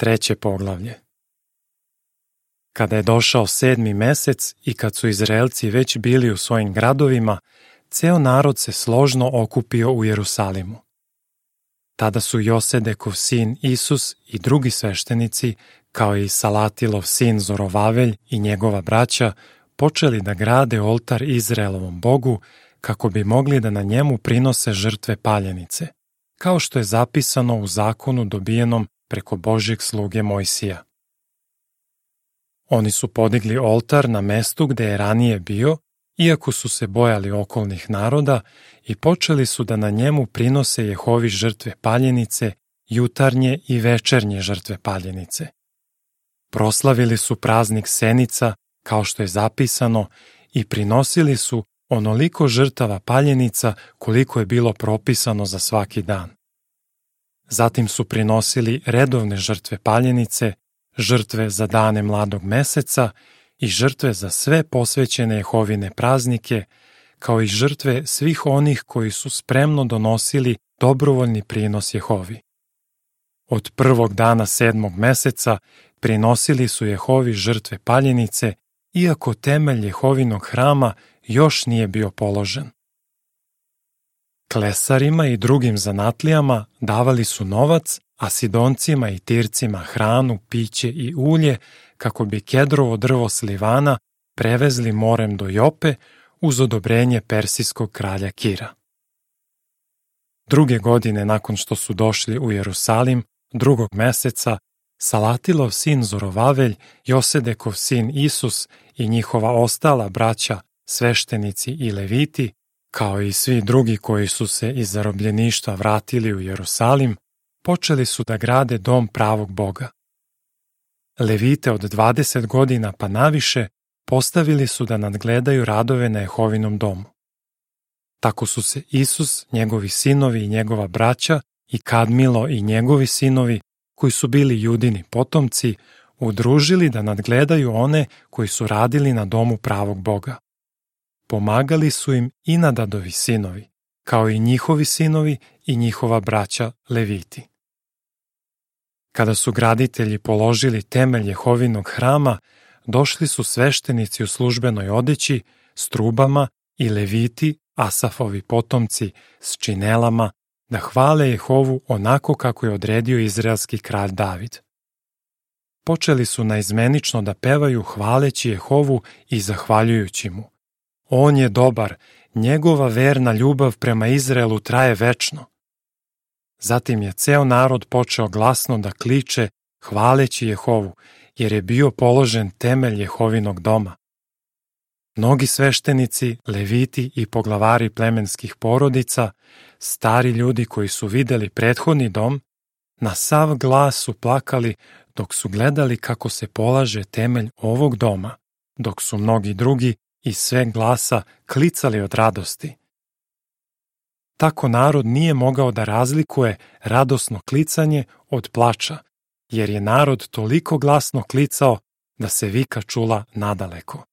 Treće poglavlje. Kada je došao 7. mesec i kad su Izraelci već bili u svojim gradovima, ceo narod se složno okupio u Jerusalimu. Tada su Josedekov sin Isus i drugi sveštenici, kao i Salatilov sin Zorovavelj i njegova braća, počeli da grade oltar Izraelovom Bogu kako bi mogli da na njemu prinose žrtve paljenice, kao što je zapisano u zakonu dobijenom preko Božjeg sluge Mojsija. Oni su podigli oltar na mestu gde je ranije bio, iako su se bojali okolnih naroda, i počeli su da na njemu prinose Jehovi žrtve paljenice, jutarnje i večernje žrtve paljenice. Proslavili su praznik Senica, kao što je zapisano, i prinosili su onoliko žrtava paljenica koliko je bilo propisano za svaki dan. Zatim su prinosili redovne žrtve paljenice, žrtve za dane mladog meseca i žrtve za sve posvećene Jehovine praznike, kao i žrtve svih onih koji su spremno donosili dobrovoljni prinos Jehovi. Od prvog dana 7. meseca prinosili su Jehovi žrtve paljenice, iako temelj Jehovinog hrama još nije bio položen. Klesarima i drugim zanatlijama davali su novac, a Sidoncima i Tircima hranu, piće i ulje, kako bi kedrovo drvo s Livana prevezli morem do Jope uz odobrenje persijskog kralja Kira. Druge godine nakon što su došli u Jerusalim, 2. meseca, Salatilov sin Zorovavelj, Josedekov sin Isus i njihova ostala braća, sveštenici i leviti, kao i svi drugi koji su se iz zarobljeništva vratili u Jerusalim, počeli su da grade dom pravog Boga. Levite od 20 godina pa naviše postavili su da nadgledaju radove na Jehovinom domu. Tako su se Isus, njegovi sinovi i njegova braća i Kadmilo i njegovi sinovi, koji su bili Judini potomci, udružili da nadgledaju one koji su radili na domu pravog Boga. Pomagali su im i Nadadovi sinovi, kao i njihovi sinovi i njihova braća Leviti. Kada su graditelji položili temelj Jehovinog hrama, došli su sveštenici u službenoj odeći, s trubama i Leviti, Asafovi potomci, s činelama, da hvale Jehovu onako kako je odredio izraelski kralj David. Počeli su naizmenično da pevaju hvaleći Jehovu i zahvaljujući mu. On je dobar, njegova verna ljubav prema Izraelu traje večno. Zatim je ceo narod počeo glasno da kliče hvaleći Jehovu, jer je bio položen temelj Jehovinog doma. Mnogi sveštenici, leviti i poglavari plemenskih porodica, stari ljudi koji su videli prethodni dom, na sav glas su plakali dok su gledali kako se polaže temelj ovog doma, dok su mnogi drugi iz sveg glasa klicali od radosti. Tako narod nije mogao da razlikuje radosno klicanje od plača, jer je narod toliko glasno klicao da se vika čula nadaleko.